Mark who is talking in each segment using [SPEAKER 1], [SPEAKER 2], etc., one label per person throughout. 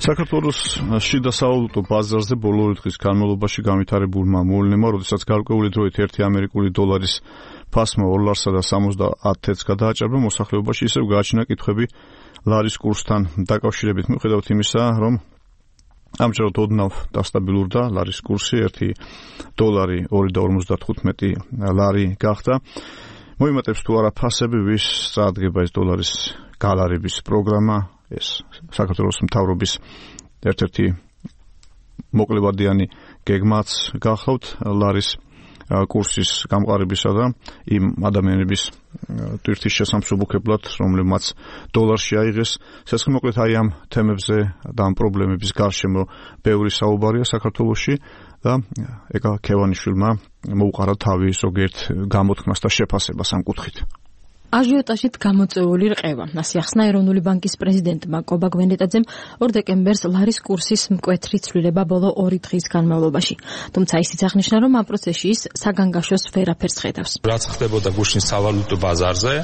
[SPEAKER 1] საქართველოს შიდა სავალუტო ბაზარზე ბოლო დღის განმავლობაში განვითარებულმა მოვლენებმა, როდესაც გარკვეული დროით 1 ამერიკული დოლარის ფასმა $2.70 გადააჭარბა, მოსახლეობაში ისევ გააჩნია კითხვები ლარის კურსთან დაკავშირებით. მიუხედავად იმისა, რომ ამჯერად ოდნავ დასტაბილურდა ლარის კურსი, $1 2.55 ლარი გახდა. მოიმატებს თუ არა ფასები, ვის წარადგება ეს დოლარის გალარების პროგრამა, ეს საქართველოს მთავრობის ერთ-ერთი მოკლებადიანი გეგმაც გახლავთ ლარის კურსის გამყარებისა და იმ ადამიანების ტვირთის შესამსუბუქებლად, რომლებმაც დოლარში აიღეს. მოკლედ აი ამ თემებზე და ამ პრობლემების გარშემო ბევრი საუბარია საქართველოში და ეკა ქევანიშვილმა მოუყარა თავი ზოგიერთ გამოთქმას და შეფასებას ამ კუთხით.
[SPEAKER 2] აჟიოტაჟით გამოწვეული რყევა. ასე ახსნა ეროვნული ბანკის პრეზიდენტმა კობა გვენეტაძემ 2 დეკემბერს ლარის კურსის მკვეთრი ცვლილება ბოლო 2 დღის განმავლობაში. თუმცა ისიც აღნიშნა, რომ ამ პროცესში ის საგანგაშოს ვერაფერს ხედავს.
[SPEAKER 3] რაც ხდებოდა გუშინ სავალუტო ბაზარზე,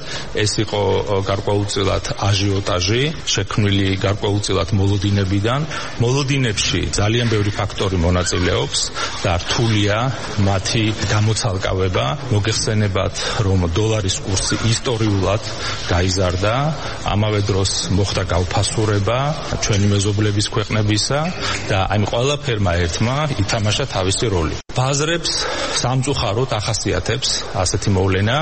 [SPEAKER 3] ეს იყო გარკვეულწილად აჟიოტაჟი, შექმნილი გარკვეულწილად მოლოდინებიდან. მოლოდინებში ძალიან ბევრი ფაქტორი მონაწილეობს და რთულია მათი გამოცალკავება. მოგეხსენებათ, რომ დოლარის კურსი ისტორიულად გაიზარდა, ამავე დროს მოხდა გავფასურება ჩვენი მეზობლების ქვეყნებისა და აი ყველაფერმა ერთმა ითამაშა თავისი როლი. ბაზრებს სამწუხაროდ ახასიათებს ასეთი მოვლენა,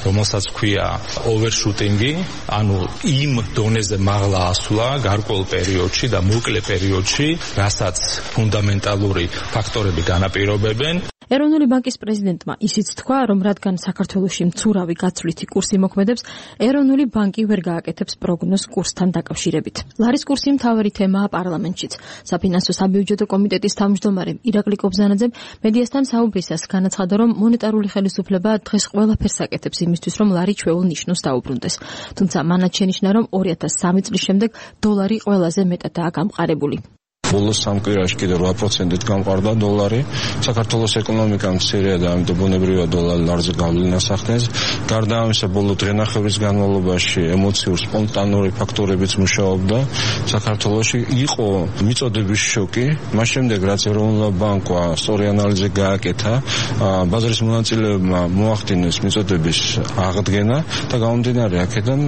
[SPEAKER 3] რომელსაც ქვია ოვერშუტინგი, ანუ იმ დონეზე მაღლა ასვლა გარკვეულ პერიოდში და მოკლე პერიოდში, რასაც ფუნდამენტალური ფაქტორები განაპირობებენ.
[SPEAKER 2] ეროვნული ბანკის პრეზიდენტმა ისიც თქვა, რომ რადგან საქართველოში მცურავი გაცვლითი კურსი მოქმედებს, ეროვნული ბანკი ვერ გააკეთებს პროგნოზს კურსთან დაკავშირებით. ლარის კურსი მთავარი თემაა პარლამენტშიც. საფინანსო საბიუჯეტო კომიტეტის თავმჯდომარე ირაკლი კობზანაძემ მედიასთან საუბრისას განაცხადა, რომ მონეტარული ხელისუფლება დღეს ყველაფერს აკეთებს იმისთვის, რომ ლარი ჩვეულ ნიშნოს დაუბრუნდეს. თუმცა მანაც შენიშნა, რომ 2003 წლის შემდეგ დოლარი ყველაზე მეტადაა გამყარებული.
[SPEAKER 4] ბოლოს 3 კვირაში კიდე 8%-ით გამყარდა დოლარი. საქართველოს ეკონომიკა მცირეა და ამიტომ ბუნებრივად დოლარზე გავლენას ახდენს. გარდა ამისა, ბოლო დღენახევრის განმავლობაში ემოციურ სპონტანური ფაქტორებიც მუშაობდა. საქართველოში იყო მიწოდების შოკი, მას შემდეგ რაც ეროვნულ ბანკმა სწორი ანალიზი გააკეთა, ბაზრის მონაწილეებმა მოახდინეს მიწოდების აღდგენა და გამომდინარე აქედან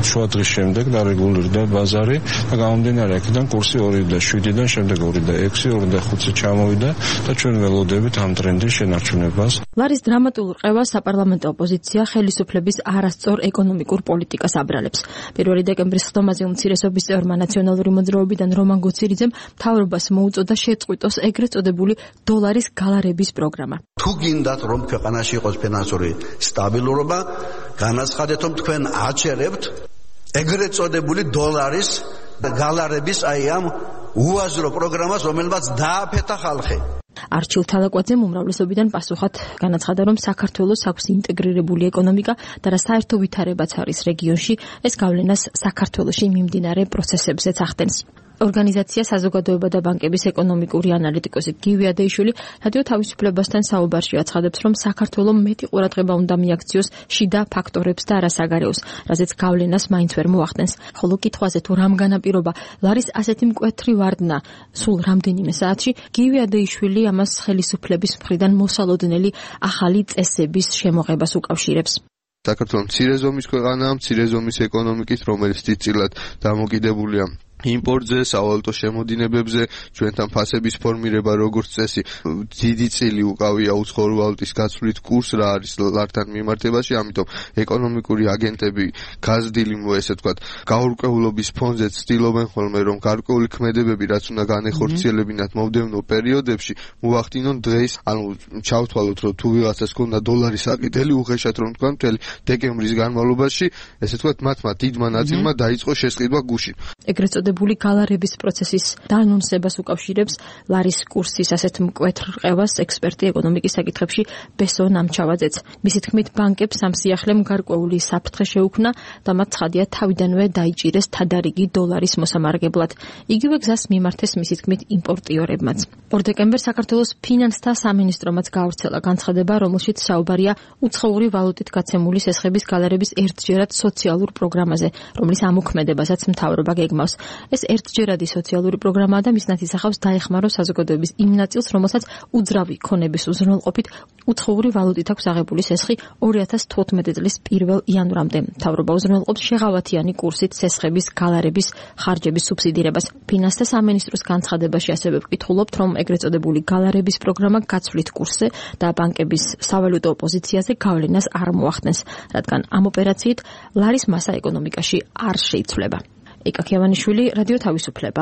[SPEAKER 4] შუა დღის შემდეგ დარეგულირდა ბაზარი და გამომდინარე აქედან კურსი 2.7 და შემდეგ 2.6, 2.5 ჩამოვიდა და ჩვენ ველოდებით ამ ტრენდის შენარჩუნებას.
[SPEAKER 2] ლარის დრამატულ რყევას საპარლამენტო ოპოზიცია ხელისუფლების არასწორ ეკონომიკურ პოლიტიკას აბრალებს. 1 დეკემბრის ხდომაზე უმცირესობის წევრმა ნაციონალური მოძრაობიდან რომან გოცირიძემ მთავრობას მოუწოდა შეწყვიტოს ეგრეთ წოდებული დოლარის გალარების პროგრამა.
[SPEAKER 5] თუ გინდათ, რომ ქვეყანაში იყოს ფინანსური სტაბილურობა, განაცხადეთ, რომ თქვენ აჩერებთ ეგრეთ წოდებული დოლარის გალარების აი ამ უაზრო პროგრამას, რომელმაც დააფეთა ხალხი.
[SPEAKER 2] არჩილ თალაკვაძემ უმრავლესობიდან პასუხად განაცხადა, რომ საქართველოს აქვს ინტეგრირებული ეკონომიკა და რა საერთო ვითარებაც არის რეგიონში, ეს გავლენას საქართველოში მიმდინარე პროცესებზეც ახდენს. ორგანიზაცია საზოგადოება და ბანკების ეკონომიკური ანალიტიკოსი გივი ადეიშვილი რადიო თავისუფლებასთან საუბარში აცხადებს, რომ საქართველოს მეტი ყურადღება უნდა მიაქციოს შიდა ფაქტორებს და არასაგარეოს, რაზეც გავლენას მაინც ვერ მოახდენს. ხოლო კითხვაზე თუ რამ განაპირობა ლარის ასეთი მკვეთრი ვარდნა სულ რამდენიმე საათში, გივი ადეიშვილი ამას ხელისუფლების მხრიდან მოსალოდნელი ახალი წესების შემოღებას უკავშირებს.
[SPEAKER 6] საქართველოს მცირე ზომის ქვეყანაა, მცირე ზომის ეკონომიკის, რომელიც დიდწილად დამოკიდებულია იმპორტზე, სავალუტო შემოდინებებზე, ჩვენთან ფასების ფორმირება როგორც წესი, დიდი წილი უკავია უცხოური ვალუტის გაცვლით კურს რა არის ლართან მიმართებაში, ამიტომ ეკონომიკური აგენტები გაზრდილი, ესე ვთქვათ, გაურკვევლობის ფონზე ცდილობენ ხოლმე, რომ გარკვეული ქმედებები, რაც უნდა განეხორციელებინათ მომდევნო პერიოდებში, მოახდინონ დღეს, ანუ ჩავთვალოთ, რომ თუ ვიღაცას ქონდა დოლარის აკიდელი, უხეშად რომ თქვა, მთელი დეკემბრის განმავლობაში, ესე ვთქვათ, მათმა დიდმა ნაწილმა დაიწყო შესყიდვა გუშინ.
[SPEAKER 2] ეგრეთ წოდებული გალარების პროცესის დაანონსებას უკავშირებს ლარის კურსის ასეთ მკვეთრ რყევას ექსპერტი ეკონომიკის საკითხებში ბესო ნამჩავაძეც. მისი თქმით, ბანკებს ამ სიახლემ გარკვეული საფრთხე შეუქმნა და მათ ცხადია თავიდანვე დაიჭირეს თადარიგი დოლარის მოსამარგებლად. იგივე გზას მიმართეს მისი თქმით იმპორტიორებმაც. 2 დეკემბერს საქართველოს ფინანსთა სამინისტრომაც გაავრცელა განცხადება, რომელშიც საუბარია უცხოური ვალუტით გაცემული სესხების გალარების ერთჯერად სოციალურ პროგრამაზე, რომლის ამოქმედებასაც მთავრობა გეგმავს. ეს ერთჯერადი სოციალური პროგრამაა და მის ნათესახავს დაეხმაროს საზოგადოების იმ ნაწილს, რომელსაც უძრავი ქონების უზრუნველყოფით უცხოური ვალუტით აქვს აღებული სესხი 2014 წლის 1 იანვრამდე. მთავრობა უზრუნველყოფს შეღავათიანი კურსით სესხების გალარების ხარჯების სუბსიდირებას. ფინანსთა სამინისტროს განცხადებაში ასევე ვკითხულობთ, რომ ეგრეთ წოდებული გალარების პროგრამა გაცვლით კურსზე და ბანკების სავალუტო პოზიციაზე გავლენას არ მოახდენს, რადგან ამ ოპერაციით ლარის მასა ეკონომიკაში არ შეიცვლება. ეკა ქიავანიშვილი, რადიო თავისუფლება.